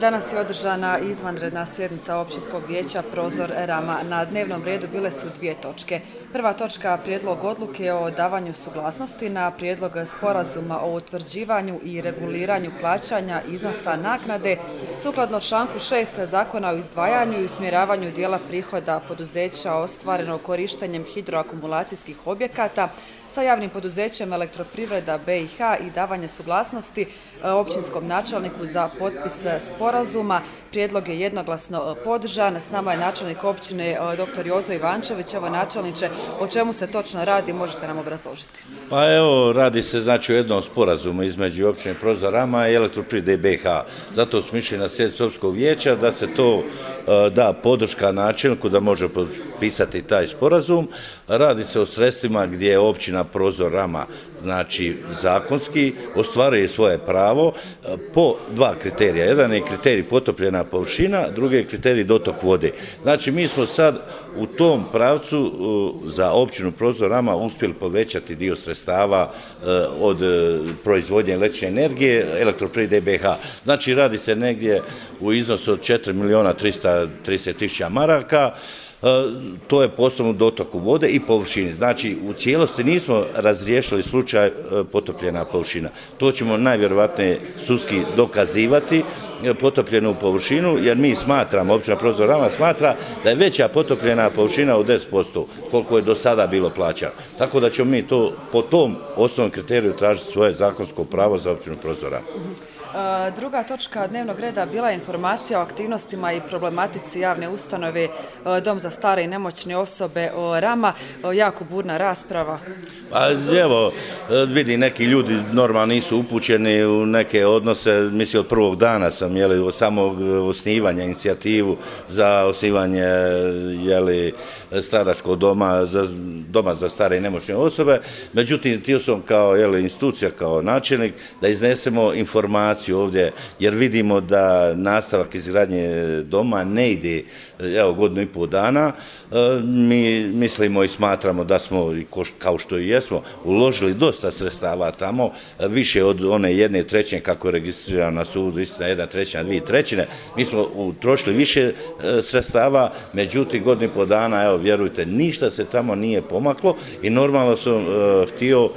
Danas je održana izvanredna sjednica općinskog vijeća Prozor Rama. Na dnevnom redu bile su dvije točke. Prva točka prijedlog odluke o davanju suglasnosti na prijedlog sporazuma o utvrđivanju i reguliranju plaćanja iznosa naknade sukladno članku 6 Zakona o izdvajanju i usmjeravanju dijela prihoda poduzeća ostvareno korištenjem hidroakumulacijskih objekata sa javnim poduzećem Elektroprivreda BiH i davanje suglasnosti općinskom načelniku za potpis sporazuma. Prijedlog je jednoglasno podržan. S nama je načelnik općine dr. Jozo Ivančević. Evo načelniče, o čemu se točno radi, možete nam obrazložiti? Pa evo, radi se znači o jednom sporazumu između općine Prozor Rama i Elektroprivrede BiH. Zato smo išli na sjednicu općinskog vijeća da se to da podrška načelniku da može potpisati taj sporazum. Radi se o sredstvima gdje je općina Prozor Rama znači zakonski ostvaruje svoje pravo po dva kriterija. Jedan je kriterij potopljena površina, drugi je kriterij dotok vode. Znači mi smo sad u tom pravcu za općinu Prozor Rama uspjeli povećati dio sredstava od proizvodnje električne energije Elektroprivrede BiH. Znači radi se negdje u iznosu od 4.330.000 maraka. To je posebno dotoku vode i površini. Znači, u cijelosti nismo razriješili slučaj potopljena površina. To ćemo najvjerovatnije sudski dokazivati, potopljenu površinu, jer mi smatramo, općina Prozor Rama smatra da je veća potopljena površina od 10%, koliko je do sada bilo plaćano. Tako da ćemo mi to po tom osnovnom kriteriju tražiti svoje zakonsko pravo za općinu Prozor Rama. Druga točka dnevnog reda bila je informacija o aktivnostima i problematici javne ustanove Dom za stare i nemoćne osobe Rama. Jako burna rasprava. Pa evo, vidi, neki ljudi normalno nisu upućeni u neke odnose. Mislim, od prvog dana sam od samog osnivanja inicijativu za osnivanje staračkog doma za stare i nemoćne osobe. Međutim, htio sam kao institucija, kao načelnik, da iznesemo informaciju ovdje, jer vidimo da nastavak izgradnje doma ne ide godinu i pol dana. Mi mislimo i smatramo da smo, kao što i jesmo, uložili dosta sredstava tamo, više od one 1/3 kako je registrirano na sudu, istina 1/3, 2/3. Mi smo utrošili više sredstava, međutim godinu i pol dana, evo vjerujte, ništa se tamo nije pomaklo i normalno sam htio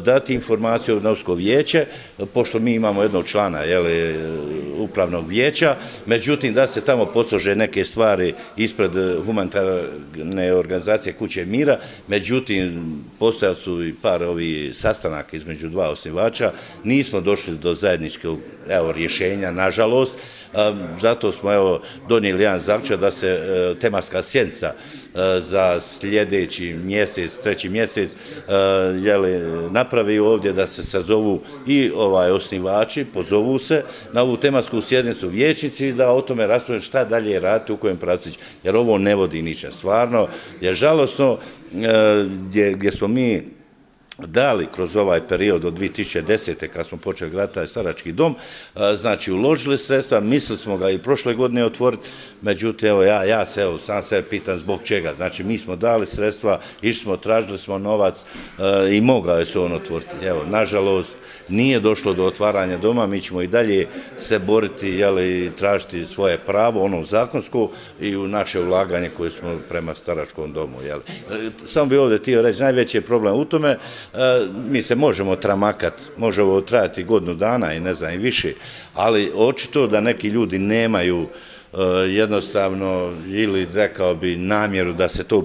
dati informaciju na općinsko vijeće, pošto mi imamo jednog člana upravnog vijeća, međutim da se tamo poslože neke stvari ispred humanitarne organizacije Kuće mira, međutim postojali su i par sastanaka između dva osnivača, nismo došli do zajedničkog rješenja, nažalost. Zato smo donijeli jedan zaključak da se tematska sjednica za sljedeći mjesec, 3. mjesec, napravi ovdje, da se sazovu i osnivači, pozovu se na ovu tematsku sjednicu vijećnici i da o tome raspravljaju šta dalje raditi, u kojem pravcu, jer ovo ne vodi ničem. Stvarno je žalosno gdje smo mi dali kroz ovaj period od 2010. kad smo počeli graditi taj starački dom, znači uložili sredstva, mislili smo ga i prošle godine otvoriti, međutim ja se sam sebe pitam zbog čega. Znači mi smo dali sredstva, išli smo, tražili smo novac i mogao je se on otvoriti. Nažalost nije došlo do otvaranja doma, mi ćemo i dalje se boriti i tražiti svoje pravo, ono zakonsko, i u naše ulaganje koje smo prema staračkom domu. Samo bi ovdje htio reći, najveći je problem u tome. Mi se možemo tramakati, možemo trajati godinu dana i ne znam i više, ali očito da neki ljudi nemaju jednostavno ili rekao bi namjeru da se to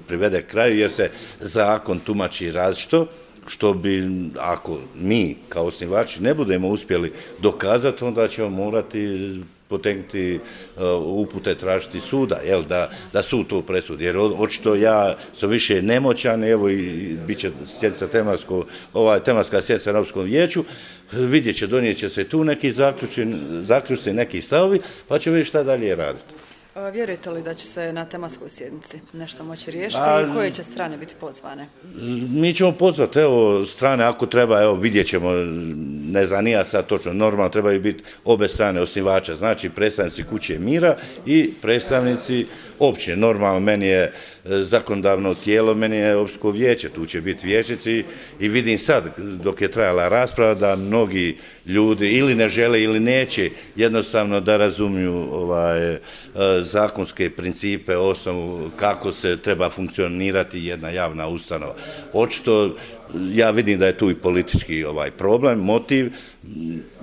privede kraju, jer se zakon tumači različito, što bi, ako mi kao osnivači ne budemo uspjeli dokazati, onda ćemo morati potegnuti upute, tražiti suda, da sud to presudi, jer očito ja sam više nemoćan, evo i bit će sjednica tematska sjednica na općinskom vijeću, donijet će se tu neki zaključci, neki stavovi, pa ćemo vidjeti šta dalje raditi. Vjerujete li da će se na tematskoj sjednici nešto moći riješiti i koje će strane biti pozvane? Mi ćemo pozvati, evo, strane ako treba, evo, vidjet ćemo, ne znam, nije sad točno, normalno trebaju biti obe strane osnivača, znači predstavnici Kuće mira i predstavnici općine. Normalno, meni je zakonodavno tijelo, meni je općinsko vijeće, tu će biti vijećnici i vidim sad, dok je trajala rasprava, da mnogi ljudi ili ne žele ili neće jednostavno da razumiju zakonske principe, osnovu kako se treba funkcionirati jedna javna ustanova. Očito, ja vidim da je tu i politički problem, motiv.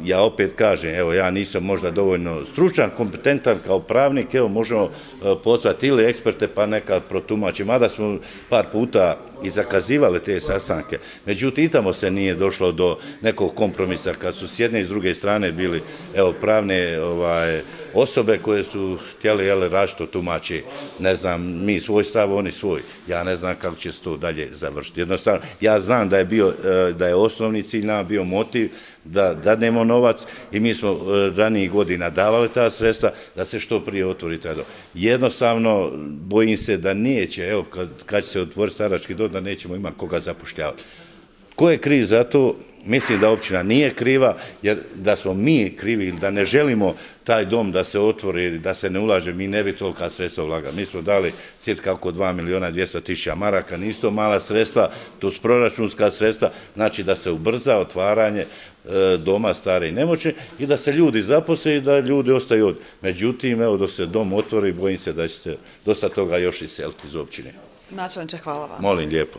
Ja opet kažem, evo, ja nisam možda dovoljno stručan, kompetentan kao pravnik, evo, možemo pozvati ili eksperte pa neka protumači, mada smo par puta i zakazivali te sastanke. Međutim, i tamo se nije došlo do nekog kompromisa kad su s jedne i s druge strane bili, evo, pravne osobe koje su htjeli različito tumači, ne znam, mi svoj stav, oni svoj. Ja ne znam kako će se to dalje završiti. Jednostavno, ja znam da je osnovni cilj nam bio motiv da dadnemo novac i mi smo ranijih godina davali ta sredstva da se što prije otvori taj dom. Jednostavno, bojim se da neće, evo, kad će se otvoriti starački dom, da nećemo imati koga zapošljavati. Ko je kriv za to? Mislim da općina nije kriva, jer da smo mi krivi ili da ne želimo taj dom da se otvori, da se ne ulaže, mi ne bi tolika sredstva ulagali. Mi smo dali cirka oko 2.200.000 maraka, nisu to mala sredstva, to su proračunska sredstva, znači da se ubrza otvaranje doma stare i nemoćne i da se ljudi zaposle i da ljudi ostaju ovdje. Međutim, evo, dok se dom otvori, bojim se da ćete dosta toga još iseliti iz općine. Načelniče, hvala vam. Molim lijepo.